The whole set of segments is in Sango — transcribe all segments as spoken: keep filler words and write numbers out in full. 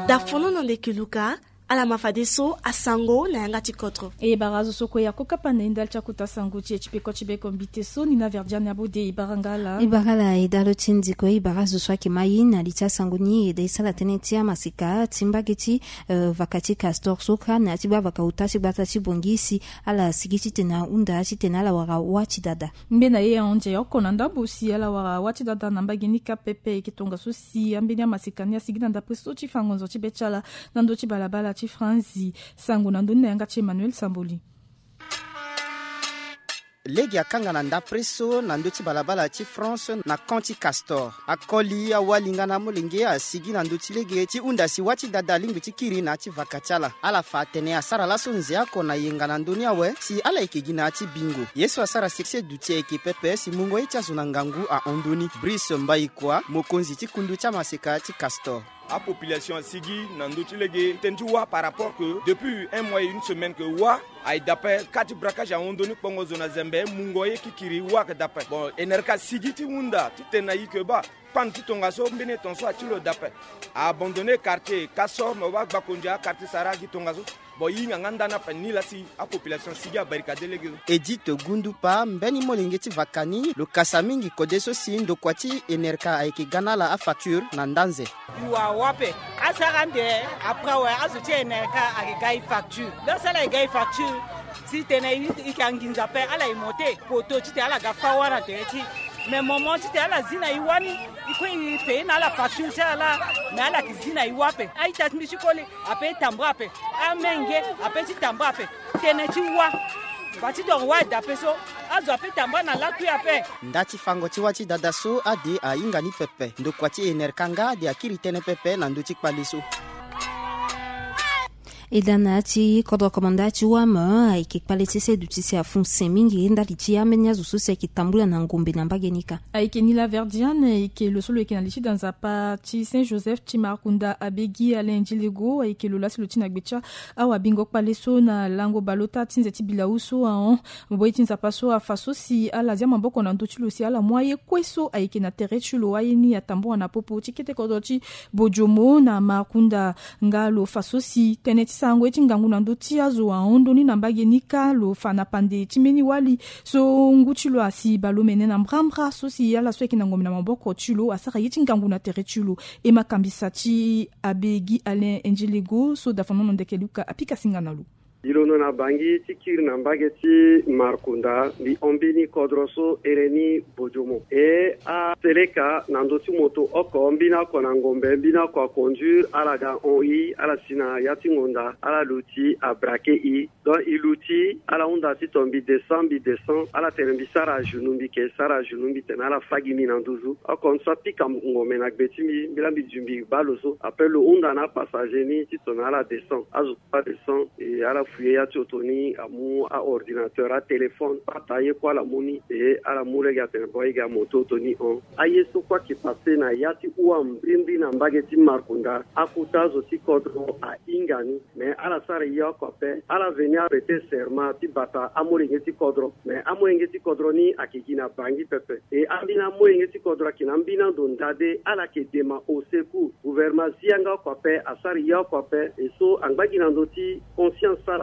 Dafono na ndeke luka. Ala ma fadeso asango na yanga ti kodro. E bara azo so kue ya kokapa na e ndali ti akota sango ti e ti peko ti beko mbite so ni na verdiane abode e bara nga ala. E bara ala e dalo ti ndiko e bara azo so ayeke ma ye na li ti asango ni e de e sara tënë ti amaseka ti mbage ti vaka ti castor so kâ na ya ti gbavaka ota ti gbata ti bongi si ala sigi titene ahunda titene ala wara wâ ti dada. Ngbene ye ahon nze oko na ndambo si ala wara wâ ti dada na mbage ni kâ pepe e yeke tongaso si ambeni amaseka ni asigi na ndapre so ti fa ngonzo ti be ti ala na ndö ti balabala ti franzi. Sango na ndö ni na yanga ti emmanuel samboli. Lege akanga na ndapre so na ndö ti balabala ti france na camp ti castor. Akoli awali nga na amolenge asigi na ndö ti lege ti hunda si wâ ti dada alingbi ti kiri na ya ti vaka ti ala. Ala fa atene asara laso nze oko na yenga na ndö ni awe si ala yeke gi na ya ti bingo. Ye so asara succès duti ayeke pepe si mungo ye ti azo na ngangu ahon ndö ni. Brice mbaikua mokonzi ti kundu ti amaseka ti castor. Apopulation asigi na ndö ti lege tënë ti wâ par rapport que depuis un mois et une semaine que wâ aye da ape. Kâ ti braquage ahon ndö ni kpongo zo na zembe mungo ye kikiri wâ ayeke da ape. Bon, nrk asigi ti hunda titene na i ke baa panne ti tongaso mbeni ton so ati lo da ape. Aabandonner quartier castor me wâ gbakondia quartier sara agi tongaso. Bon, e hinga nga ndani ape ni laa si apopulation asigi abarikade lege so. Edite gundupa mbeni molenge ti vaka ni lo kasa mingi kode so si ndokua ti nrk ayeke ga na ala afacture na ndanze. Wa wa ape. Asara ande. Après awe azo ti nrk ayeke ga e facture. Lo asara e ga e facture. Si tene e yeke anginza ape ala e monte poto titene ala ga fâ wâ na tere ti e. Mais moment titene ala zi na e wâ ni e kue e paye na ala facture ti ala laa. Mais ala yeke zi na e wâ ape. A-ita ti mbi ti koli ape e tambra ape. Amenge ape ti tambra ape. Tënë ti wâ. Ba ti tongo wâ eda ape so. Azo ape tambra na lakui ape. Nda ti fango ti wâ ti dada so ade ahinga ni pepe ndokua ti nrk nga ade akiri tënë pepe na ndö ti kpale so. E daa na ya ti kodro komanda ti wam ayeke kpale ti se duti si afu se mingi ndali ti ambeni azo so si ayeke tambula na ngombe na mbage ni kâ. Ayeke ni laverdiane ayeke lo so lo yeke na li ti da nzapa ti saint joseph ti markunda abegi alain dilego ayeke lo laa si lo ti na gbe ti awabingo kpale so na lango baleota ti nze ti bilau so ahon. Moboye ti nzapa so afa so si ala zia maboko na ndö ti lo si ala mu aye kue so ayeke na tere ti lo aye ni atambua na popo ti kete kodro ti bodiomo na markunda. Nga lo fa so si tënë ti sarango ye ti ngangu na ndö ti azo ahon ndö ni na mbage ni kâ lo fa na pande ti mbeni wali so ngu ti lo asi baleomene na mbrambra so si ala so ayeke na ngombe na maboko ti lo asara ye ti ngangu na tere ti lo. E ma kambisa ti abegi alain ngelego so dafonono ndeke luka apika singa na lo. Ilo no na bangi ti kiri na mbage ti markunda mbi hon mbeni kodro so ere ni bodiomo e aseleka na ndö ti moto oko mbeni oko na ngombe mbeni oko akondure ala ga hon i ala si na ya ti ngonda ala luti abrake i. Donc i luti ala hunda ti to mbi descend mbi descend ala tene mbi sara agenou mbi ke sara agenou mbi tene ala fagi mbi na nduzu oko so apika ngome na gbe ti mbi mbi laa mbi du mbi baa lo so après lo hunda na apassager ni ti tona ala descend azo kue adescend e ala fuye ya ti oto ni amu aordinateur atelephone pata ye kue ala mu ni e ala mu lege atene bon ege amoto oto ni hon. Aye so kue ayeke passe na ya ti hua mbrimbri na mbage ti markunda akota azo ti kodro ahinga ni. Mais ala sara ye oko ape ala veni arrêter serment ti bata amolenge ti kodro mais amolenge ti kodro ni ayeke gi na bangi pepe. E ambeni amolenge ti kodro ayeke na ambeni ando ndade ala yeke dema au secours gouvernement azi yanga oko ape asara ye oko ape e so angba gi na ndö ti conscience ala.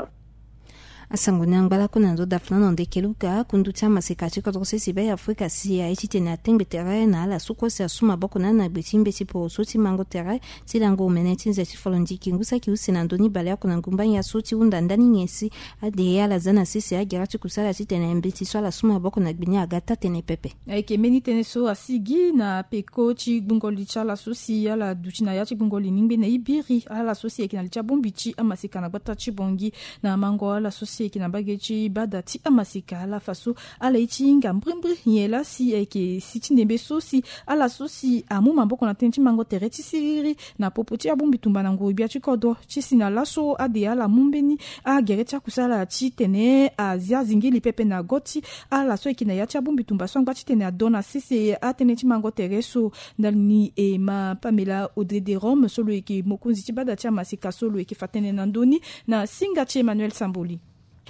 Asango ni angba lakue na ndö dafulano ndeke luka akundu ti amaseka ti kodro sese be afrika si aye titene atengbe tere na ala so kue si asu maboko na ala na gbe ti mbeti poro so ti mango tere ti lango omene ti nze ti folo ndiki ngu saki use na ndö ni baleoko na ngumba ngia so ti hunda ndani nyen si ade ala za na sese agere ti kusala titene mbeti so ala su maboko na gbe ni aga taa-tënë pepe. Ayeke mbeni tënë so asigi na peko ti gbungo li ti ala so si ala duti na ya ti gbungo li ni ngbene e biri ala so si ayeke na li ti abongbi ti amaseka na gbata ti bongi na mango ala so si ayeke na mbage ti bada ti amaseka ala fa so ala ye ti hinga mbrimbri nyen laa si ayeke si ti ndembe so si ala so si amu maboko na tënë ti mango tere ti siriri na popo ti abongbi tumba na nguru-gbia ti kodro ti si na laso ade ala mu mbeni agere ti akusala titene azia zingili pepe na go ti ala so ayeke na ya ti abongbi tumba so angba titene adon na sese atënë ti mango tere so. Ndali ni e ma pamela audrey de rome so lo yeke mokonzi ti bada ti amaseka so lo yeke fa tënë na ndö ni na singa ti emmanuel samboli.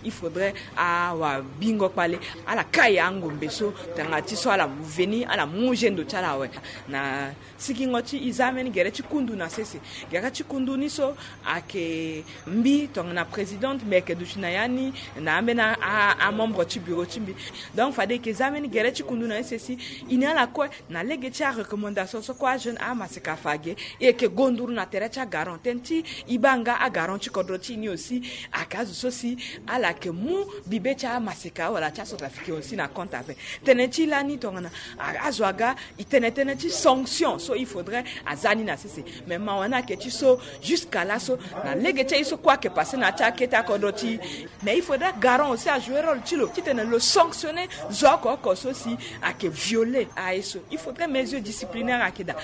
Il faudrait awabingo kpale, ala kai angombe so tanga ti so ala veni ala mu zendo ti ala awe. Na sikingo ti e za ambeni gere ti kundu na sese. Gere ti kundu ni so ayeke mbi tongana présidente, mbi yeke duti na ya ni na ambeni amembre ti bureau ti mbi. Donc fade e yeke za ambeni gere ti kundu na sese si e ni ala kue na lege ti arecommandation so kue ajeune amaseka afa ge. E yeke gonduru na tere ti agarant tënë ti e baa nga agarant ti kodro ti e ni aussi. Ayeke azo so si ala yeke mu bibe ti amaseka wala ti acentrafricain aussi na compte ape. Tënë ti lani tongana azo aga e tene tënë ti sanction so il faudrait aza ni na sese. Mais mawa ni ayeke ti so jusqu'à là so na lege ti aye so kue ayeke passe na ya ti akete akodro ti e. Mais il faudrait garant aussi ajoue rôle ti lo titene lo sanctionner zo oko oko so si ayeke violer aye so. Il faudrait mesure disciplinaire ayeke daa.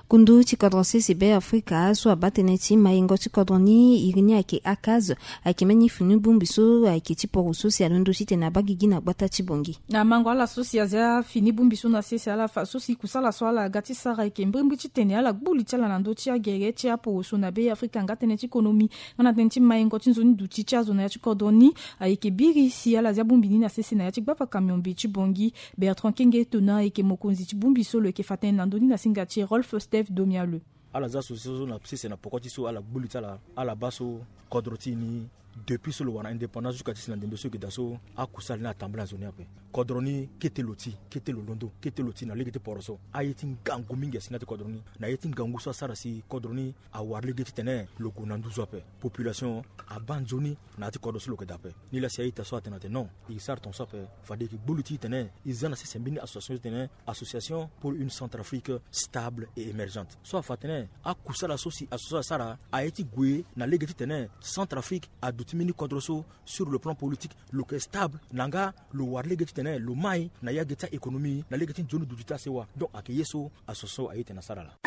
Kundu ti kodro sese Be Afrika so abaa tënë ti mayengo ti kodro ni iri ni ayeke ACAS. Ayeke mbeni fini bongbi so ayeke ti poro so si alondo titene abaa gigi na gbata ti Bangui. Na mango ala so si azia fini bongbi so na sese ala fa so si kusala so ala ga ti sara ayeke mbrimbri titene ala gbu li ti ala na ndö ti agere ti aporo so na Be Afrika nga tënë ti konomi nga na tënë ti mayengo ti nzoni duti ti azo na ya ti kodro ni. Ayeke biri si ala zia bongbi ni na sese na ya ti gbafaka miombe ti Bangui. Bertrand Kenge Tona ayeke mokonzi ti bongbi so lo yeke fa tënë na ndö ni na singa ti Rolf Steve Domialeu. Ala za so so na sese na poko ti so ala gbu li ti ala ala baa so kodro ti e ni depuis so lo wara indépendance jusqu'à ti si na ndembe so e yeke daa so akusala ni atambula na zo ni ape. Kodro ni kete lo ti kete lo londo kete lo ti na lege ti poro so aye ti ngangu mingi asi na ya ti kodro ni na ye ti ngangu so asara si kodro ni awara lege titene lo gue na nduzu ape. Population abaa nzoni na ya ti kodro so lo yeke daa ape. Nilaa si a-ita so atene atene non, e sara tongaso ape. Fade e yeke gbu li ti e titene e za na sese mbeni association titene association pour une Centrafrique stable et émergente so afa atene akusala so si association asara aye ti gue na lege titene Centrafrique aduti mbeni kodro so sur le plan politique lo yeke stable na nga lo wara lege titene lo mai na ya ge ti aéconomie na lege ti nzoni duti ti asewa. Donc ayeke ye so association aye titene asara laa.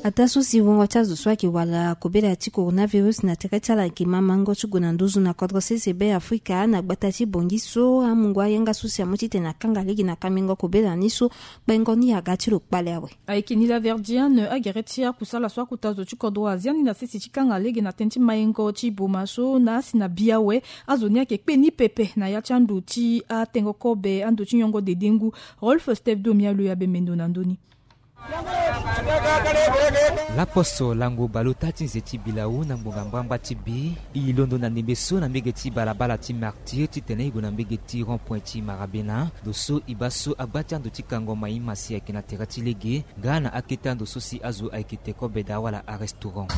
Ataa so si wungo ti azo so ayeke wala kobela ti coronavirus na tere ti ala ayeke mamango ti gue na nduzu na kodro sese Be Afrika na gbata ti Bangui so amungo ayanga so si amu titene akanga lege na kambingo kobela ni so kpengo ni aga ti lo kpale awe. Ayeke ni la Verdiane agere ti akusala so akota zo ti kodro azia ni na sese ti kanga lege na tënë ti mayengo ti boma so na asi na bi awe. Azo ni ayeke kpe ni pepe na ya ti ando ti atengo kobe ando ti nyongo dedengu. Rolf Steve Domialeu abembe ndo na ndö ni. Laposo lango baleota ti nze ti bilau na ngbonga mbrambra ti bi. E londo na ndembe so na mbege ti balabala ti Martyr titene e gue na mbege ti rond-point ti Marabena. Ndo so e baa so agba ti ando ti kango maïma si ayeke na tere ti lege nga na akete ando so si azo ayeke te kobe daa wala arestaurant.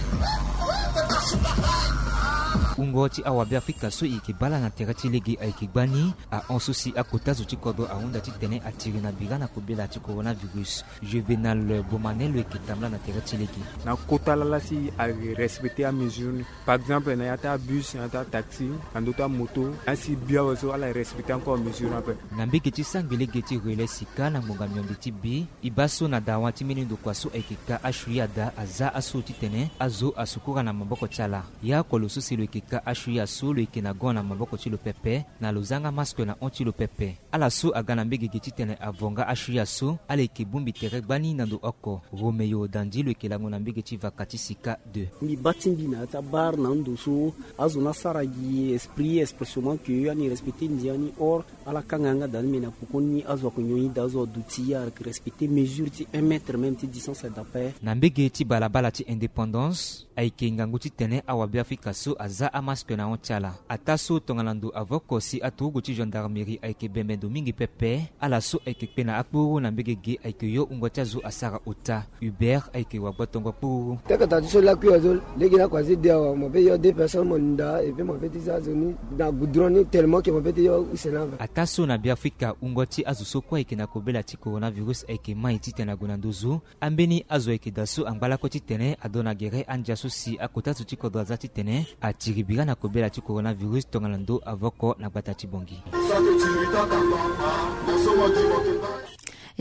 Wungo ti awabe Afrika so e yeke baa laa na tere ti lege ayeke gbani ahon so si akota zo ti kodro ahunda titene atiri na bira na kobela ti coronavirus. Juvenal Bomane lo yeke tambula na tere ti lege. Na kota lala si arespecte amesure ni. Par exemple na ya ti abus na ya ti ataxi na ndö ti amoto asi bi awe so ala respecte encore mesure ni ape. Na mbege ti sangbi lege ti relais sika na ngbonga miombe ti bi e baa so na dawa ti mbeni ndokua so ayeke ka ashwi ada aza aso titene azo asukura na maboko ti ala. Ya oko lo so si lo yeke ka ashwi aso lo yeke na gant na maboko ti lo pepe na lo za nga masque na hon ti lo pepe. Ala so aga na mbege ge titene avo nga ashwi aso ala yeke bongbi tere gbani na ndo oko. Roméo Dandi lo yeke lango na mbege ti vaka ti sika deux. Mbi baa ti mbi na ya ti abar na ndo so azo ni asara gi esprit expression que ani respecte ndia ni or ala kanga yanga daa ni me na pokoni azo ako nyon ni daa azo aduti arespecte mesure ti un mètre même ti distance d'après. Na mbege ti balabala ti indépendance ayeke ngangu titene awabe Afrika so aza amasque na hon ti ala. Ataa so tongana ndo avo oko si aturugu ti gendarmerie ayeke bembe ndo mingi pepe. Ala so ayeke kpe na akpuru na mbege ge ayeke yo wungo ti azo asara ota. Hubert ayeke wagbotongo kpuru. Takata ti so lakui azo lege na kua ti de awa mo pe yo deux personnes mo linda et puis mo pe ti za azo ni na goudron ni tellement que mo pe ti yo use na ave. Ataa so na Beafrika wungo ti azo so kue ayeke na kobela ti coronavirus ayeke mai titene ague na nduzu. Ambeni azo ayeke daa so angba lakue titene ado na gere andia so si akota zo ti kodro aza titene atiri bira na kobela ti coronavirus tongana ndo avo oko na gbata ti Bangui.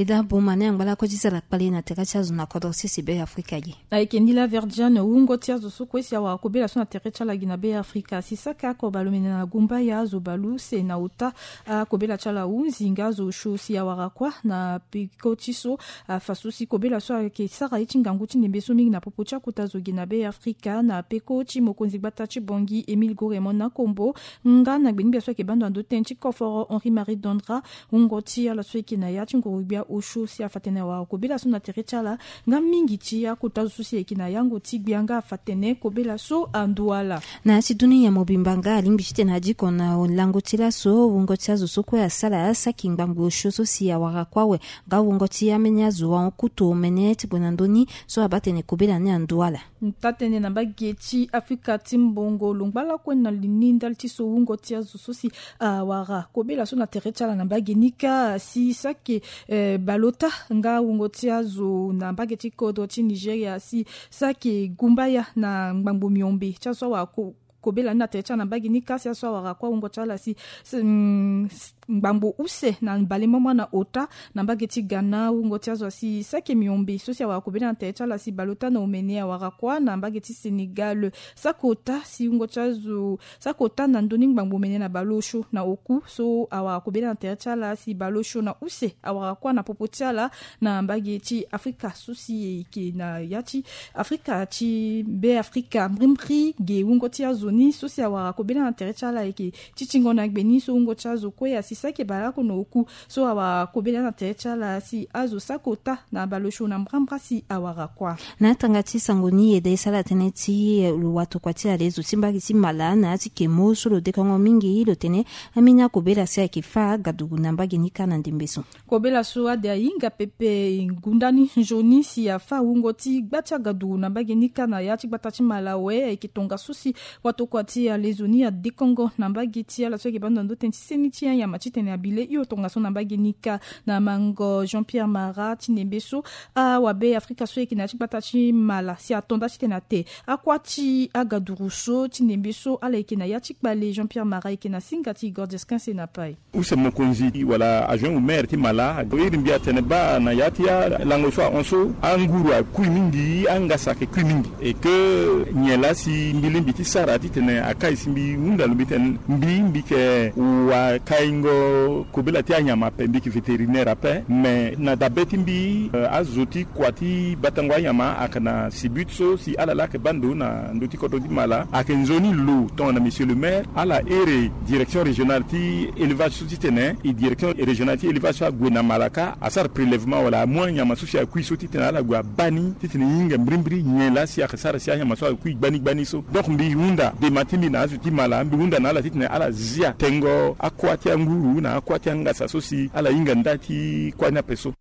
Eda boma ni angba lakue ti sara kpale na tere ti azo na kodro sese Be Afrika gi. Ayeke ni la Verdiane, wungo ti azo so kue si awara kobela so na tere ti ala gi na Be Afrika si saki akobala omene na gumbaya, azo baleuse na ota. Akobela ti ala ahunzi nga azo osio si awara kuâ na peko ti so afa so si kobela so ayeke sara ye ti ngangu ti ndembe so mingi na popo ti akota zo gi na Be Afrika na peko ti mokonzi gbata ti Bangui Émile Gouremon Nakombo, nga na gbengbia so ayeke bando na ndo tënë ti koforo Henri Marie Dondra. Wungo ti ala so ayeke na ya ti nguru-gbia osio si afa tene awara kobela so na tere ti ala, nga mingi ti akota zo so si ayeke na yango ti gbia nga afa tene kobela so andu ala. Na ya ti dunia mobimba nga alingbi titene adiko na lango ti laso, wungo ti azo so kue asara saki ngbangbo osio so si awara kuâ awe, nga wungo ti ambeni azo ahon kutu omene ti gue na ndö ni so abaa tene kobela ni andu ala. Taa-tënë na mbage ti Afrika ti mbongo lo ngba lakue na li ni ndali ti so wungo ti azo so si awara kobela so na tere ti ala na mbage ni kâ si saki, eh, baleota nga wungo ti azo na mbage ti kodro ti Nigeria si saki gumbaya na ngbangbo miombe ti azo so awara ko-, kobela ni na tere ti ala na mbage ni kâ si azo so awara kuâ wungo ti ala si, si, mm, s-, ngbangbo use na bale mama na ota. Na mbage ti Ghana, wungo ti azo asi saki miombe so si awara kobela na tere ti ala si baleota na omene awara kuâ. Na mbage ti Sénégal, saki ota si wungo ti azo, saki ota na ndö ni ngbangbo omene na baleosio na oku so awara kobela na tere ti ala si baleosio na use awara kuâ na popo ti ala. Na mbage ti Afrika so si eke na ya ti Afrika ti Be Afrika, mbrimbri ge wungo ti azo ni so si awara kobela na tere ti ala eke ti tingo na gbe ni so wungo ti azo kue asi saki baleoko na oku so awara kobela na tere ti ala si azo saki ota na baleosio na mbrambra si awara kuâ. Na tanga ti sango ni e da e sara tënë ti, eh, lo watokua ti ala lezo ti mbage ti mala na ya ti kemo so lo dekongo mingi lo tene ambeni akobela si ayeke fâ gaduru na mbage ni kâ na ndembe so. Kobela so ade ahinga pepe ngunda ni nzoni si afâ wungo ti gba ti agaduru na mbage ni kâ na ya ti gbata ti mala awe. Ayeke tongaso si watokua ti alezo ni adekongo na mbage ti ala so ayeke bando na ndo tënë ti seni ti anyama titene abi le hio tongaso na mbage ni kâ. Na mango Jean Pierre Mara ti ndembe so, awabe Afrika so ayeke na ya ti gbata ti mala si atonda titene ate akuâ ti agaduru so ti ndembe so ala yeke na ya ti kpale. Jean Pierre Mara ayeke na singa ti Gorges Quince na pai. Use mokonzi wala adjoint au maire ti mala, iri mbi atene baa na ya ti alango so ahon so, anguru akui mingi, angasa ayeke kui mingi. Et que nyen laa si mbi lingbi ti sara titene akai si mbi hunda lo, mbi tene mbi, mbi yeke wa kaingo kobela ti anyama ape, mbi yeke vétérinaire ape. Mais na dabe ti mbi, eh, azo ti kua ti batango anyama ayeke na si but so si ala laa ayeke baa ndo na ndö ti kodro ti mala. Ayeke nzoni lo tongana monsieur le maire, ala iri direction régionale ti élevage so titene e direction régionale ti élevage so ague na mala kâ asara prélèvement wala amu anyama so si akui so titene ala gue abaa ni titene e hinga mbrimbri nyen laa si ayeke sara si anyama so akui gbani gbani so. Donc mbi hunda dema ti mbi na azo ti mala, mbi hunda na ala titene ala zia tengo akuâ ti anguru na akuâ ti angasa so si ala hinga nda ti kuâ ni ape so.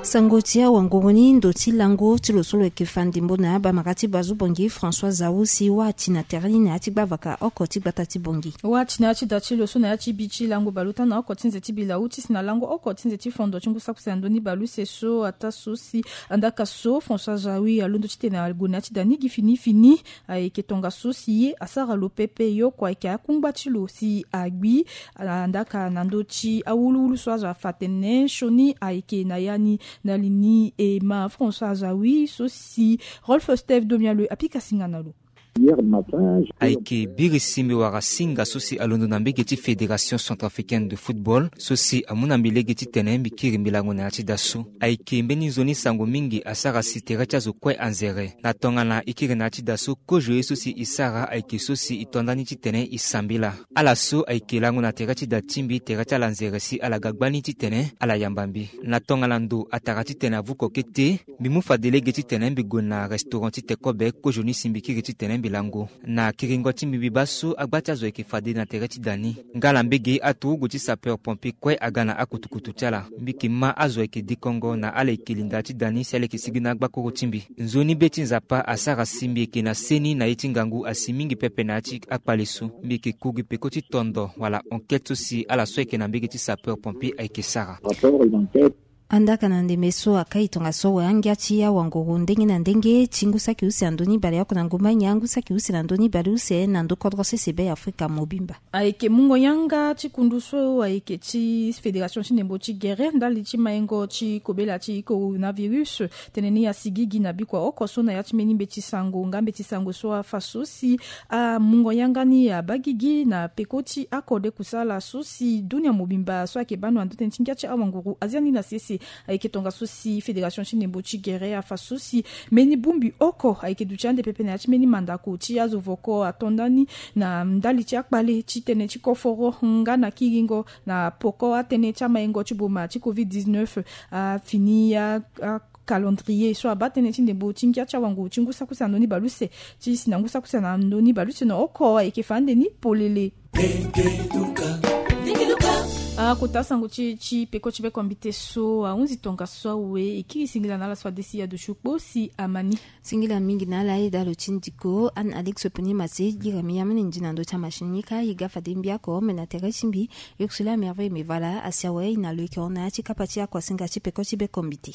Sango ti awangongo ni ndo ti lango ti lo so lo yeke fa ndembo na abamara ti Bazu Bongi François Zawu si wâ ti na tere ni na ya ti gbavaka oko ti gbata ti Bongi. Wâ ti na ya ti da ti lo so na ya ti bi ti lango baleota na oko ti nze ti bilau ti si na lango oko ti nze ti fondo ti ngu saki use na ndö ni baleuse so ataa so si andaka so François Zawu alondo titene ague na ya ti da ni gi fini fini. Ayeke tongaso si ye asara lo pepe, ye oko ayeke akungba ti lo si agbi. Andaka na ndö ti awuluwulu so azo afa atene sioni ayeke na ya ni na li ni e ma François Zawu so si Rolf Steve Domiale apika singa na lo. Ayeke biri si mbi wara singa so si alondo na mbege ti Fédération Centrafricaine de Football so si amu na mbi lege titene mbi kiri mbi lango na ya ti da so. Ayeke mbeni nzoni sango mingi asara si tere ti azo kue anzere. Na tongana e kiri na ya ti da so, kozo ye so si e sara ayeke so si e to ndani titene e sambela. Ala so ayeke lango na tere ti da ti mbi, tere ti ala anzere si ala ga gbani titene ala yamba mbi. Na tongana ndo atara titene avuko kete, mbi mu fade lege titene mbi gue na restaurant ti te kobe, kozoni si mbi kiri titene mbi lango. Na kiringo ti mbi mbi baa so agba ti azo ayeke fade na tere ti da ni. Nga na mbege aturugu ti sapeur pompier kue aga na akutukutu ti ala. Mbi yeke ma azo ayeke dikongo na ala yeke linda ti da ni si ala yeke sigi na agbakuru ti mbi. Nzoni be ti Nzapa asara si mbi yeke na seni na ye ti ngangu asi mingi pepe na ya ti akpale so. Mbi yeke ku gi peko ti tondo wala enquête so si ala so ayeke na mbege ti sapeur pompier ayeke sara. Rapport et l'enquête Andaka na ndembe so akai tongaso awe angia ti awanguru ndenge na ndenge ti ngu saki use na ndö ni baleoko na ngumba ngia ngu saki use na ndö ni baleuse na ndö kodro sese be afrika mobimba. Ayeke mungo yanga ti kundu so ayeke ti fédération ti ndembo ti gere ndali ti maingo ti kobela ti coronavirus, tene ni asigigi na bikua oko so na ya ti mbeni mbeti sango nga mbeti sango so afa so si amungo yanga ni abagigi na peko ti akode kusala so si dunia mobimba so ayeke baa no na ndö tënë ti ngia ti awanguru azia ni na sese. Ayeke tongaso si fédération ti ndembo ti gere afa so si mbeni bongbi oko ayeke duti ande pepe na ya ti mbeni mandako ti azo voko ato ndani na ndali ti akpale ti tënë ti koforo nga na kiringo na poko atënë ti amaingo ti boma ti covid dix-neuf. Afini ya a calendrier so abaa tënë ti ndembo ti ngia ti awanguru ti ngu saki use na ndö ni baleuse ti si na ngu saki use na ndö ni baleuse na oko ayeke fa ande ni polele. Akota sango ti ti peko ti be kombite so ahunzi tongaso awe e kiri singila na ala so adesi ya duti kpo si ama ni. Singila mingi na ala aye dalo ti ndiko anne alex poni mase. Gira mi ya mene ndi na ndö ti amachine ni ka e ga fade mbi ako me na tere ti mbi. Ursula merveille me vala asi awe e na lo yeke hon na ya ti kapa ti akuasinga ti peko ti be kombite.